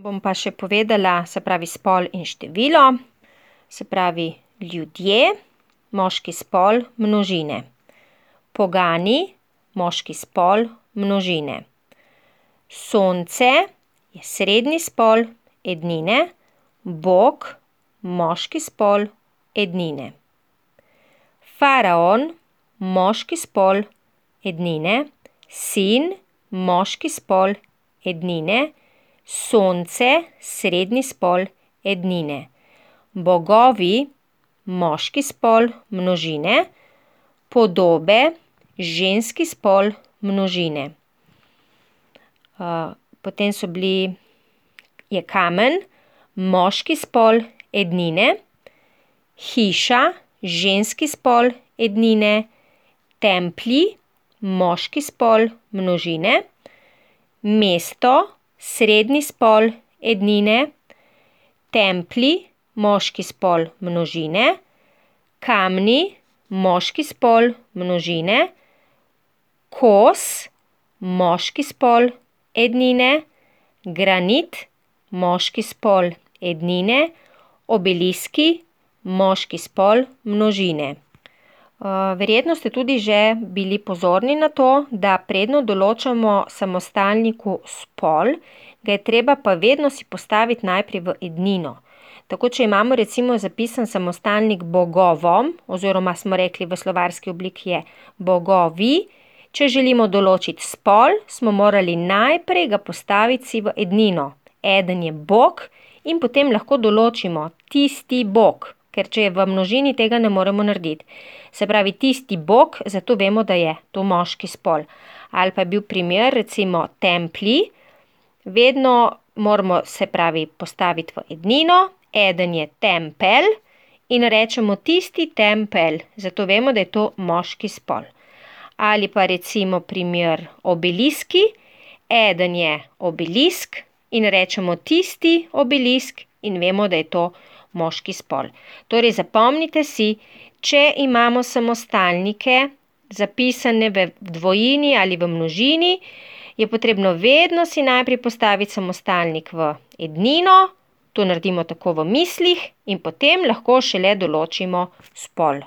Bom pa še povedala, se pravi spol in število, se pravi ljudje, moški spol, množine. Pogani, moški spol, množine. Sonce je srednji spol, ednine. Bog, moški spol, ednine. Faraon, moški spol, ednine. Sin, moški spol, ednine. Sonce, srednji spol, ednine. Bogovi, moški spol, množine. Podobe, ženski spol, množine. Potem je kamen, moški spol, ednine. Hiša, ženski spol, ednine. Templji, moški spol, množine. Mesto, srednji spol, ednine. Templji, moški spol, množine. Kamni, moški spol, množine. Kos, moški spol, ednine. Granit, moški spol, ednine. Obeliski, moški spol, množine. Verjetno ste tudi že bili pozorni na to, da predno določamo samostalniku spol, ga je treba pa vedno si postaviti najprej v ednino. Tako, če imamo recimo zapisan samostalnik bogovom, oziroma smo rekli v slovarski obliki je bogovi, če želimo določiti spol, smo morali najprej ga postaviti si v ednino. Eden je bog in potem lahko določimo tisti bog, ker če je v množini, tega ne moremo narediti. Se pravi, tisti bog, zato vemo, da je to moški spol. Ali pa je bil primer, recimo, templji. Vedno moramo, se pravi, postaviti v ednino. Eden je tempelj in rečemo tisti tempelj, zato vemo, da je to moški spol. Ali pa recimo primer obeliski. Eden je obelisk in rečemo tisti obelisk in vemo, da je to moški spol. Torej zapomnite si, če imamo samostalnike zapisane v dvojini ali v množini, je potrebno vedno si najprej postaviti samostalnik v ednino, to naredimo tako v mislih in potem lahko šele določimo spol.